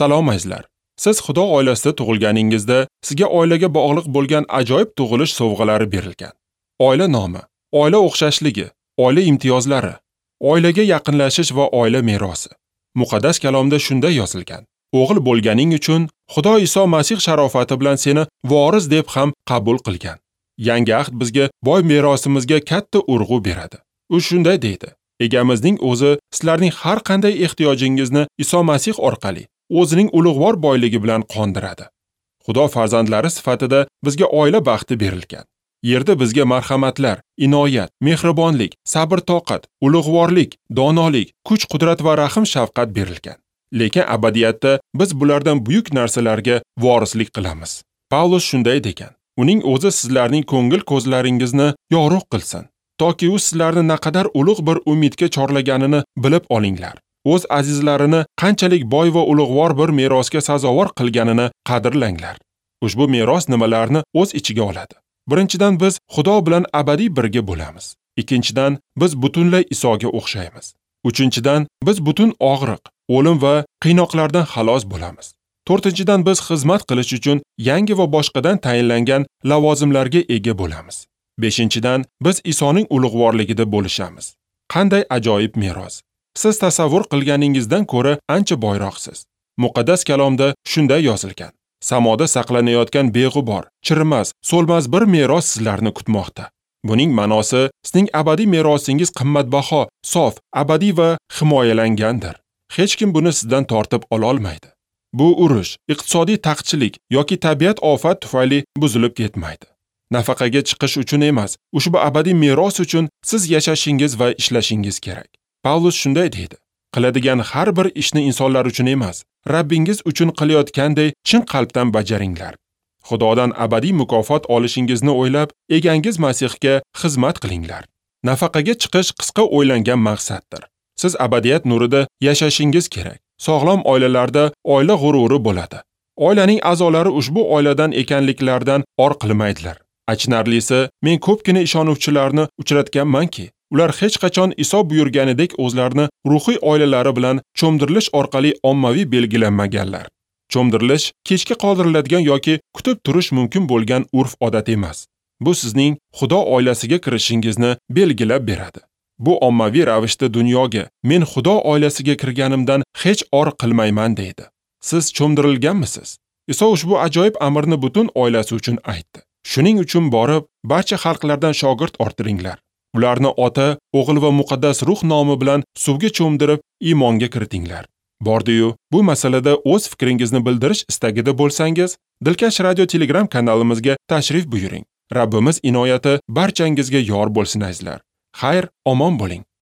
Salom azizlar. Siz Xudo oilasida tug'ilganingizda sizga oilaga bog'liq bo'lgan ajoyib tug'ilish sovg'alari berilgan. Oila nomi, oila o'xshashligi, oila imtiyozlari, oilaga yaqinlashish va oila merosi. Muqaddas kalomda shunday yozilgan: O'g'il bo'lganing uchun Xudo Iso Masih sharofati bilan seni voris deb ham qabul qilgan. Yangi ahd bizga boy merosimizga katta urg'u beradi. U shunday deydi: Egamizning o'zi sizlarning har qanday ehtiyojingizni Iso Masih orqali o'zining ulug'vor boyligi bilan qondiradi. Xudo farzandlari sifatida bizga oila baxti berilgan. Yerda bizga marhamatlar, inoyat, mehribonlik, sabr-toqat, ulug'vorlik, donolik, kuch-qudrat va rahm-shafqat berilgan. Lekin abadiyatda biz bulardan buyuk narsalarga vorislik qilamiz. Pavlus shunday degan: Uning o'zi sizlarning ko'ngil ko'zlaringizni yorug' qilsin, toki u sizlarni naqadar ulug' bir umidga chorlaganini bilib olinglar. O'z azizlarini qanchalik boy va ulug'vor bir merosga sazovor qilganini qadrlanglar. Ushbu meros nimalarni o'z ichiga oladi? Birinchidan, biz Xudo bilan abadiy birga bo'lamiz. Ikkinchidan, biz butunlay Isoga o'xshaymiz. Uchinchidan, biz butun og'riq, o'lim va qiynoqlardan xalos bo'lamiz. To'rtinchidan, biz xizmat qilish uchun yangi va boshqadan tayinlangan lavozimlarga ega bo'lamiz. Beshinchidan, biz Isoning ulug'vorligida bo'lishamiz. Qanday ajoyib meros! Siz tasavvur qilganingizdan ko'ra ancha boyroqsiz. Muqaddas kalomda shunday yozilgan: Samoda saqlanayotgan beg'ubor, chirimas, so'lmas bir meros sizlarni kutmoqda. Buning ma'nosi, sizning abadiy merosingiz qimmatbaho, sof, abadiy va himoyalangandir. Hech kim buni sizdan tortib ola olmaydi. Bu urush, iqtisodiy taqchillik yoki tabiat ofat tufayli buzilib ketmaydi. Nafaqaga chiqish uchun emas, ushbu abadiy meros uchun siz yashashingiz va ishlashingiz kerak. Pavlus shunday deydi: Qiladigan har bir ishni insonlar uchun emas, Rabbingiz uchun qilayotganday chin qalbdan bajaringlar. Xudodan abadiy mukofot olishingizni o'ylab, egangiz Masihga xizmat qilinglar. Nafaqaga chiqish qisqa o'ylangan maqsaddir. Siz abadiyat nurida yashashingiz kerak. Sog'lom oilalarda oila g'ururi bo'ladi. Oilaning a'zolari ushbu oiladan ekanliklaridan or qilmaydilar. Achinarlisi, men ko'pgina ishonuvchilarni uchratganmanki, ular hech qachon Iso buyurganidek o'zlarini ruhiy oilalari bilan cho'mdirilish orqali ommaviy belgilanmaganlar. Cho'mdirilish kechga qoldiriladigan yoki kutib turish mumkin bo'lgan urf-odat emas. Bu sizning Xudo oilasiga kirishingizni belgilab beradi. Bu ommaviy ravishda dunyoga men Xudo oilasiga kirganimdan hech or qilmayman deydi. Siz cho'mdirilganmisiz? Iso ushbu ajoyib amrni butun oilasi uchun aytdi. Shuning uchun borib, barcha xalqlardan shogird orttiringlar. Ularni Ota, O'g'il va Muqaddas Ruh nomi bilan suvga cho'mdirib, iymonga kiritinglar. Bordi-yu, bu masalada o'z fikringizni bildirish istagida bo'lsangiz, Dilkash Radio Telegram kanalimizga tashrif buyuring. Rabbimiz inoyati barchangizga yor bo'lsin azizlar. Xayr, omon bo'ling.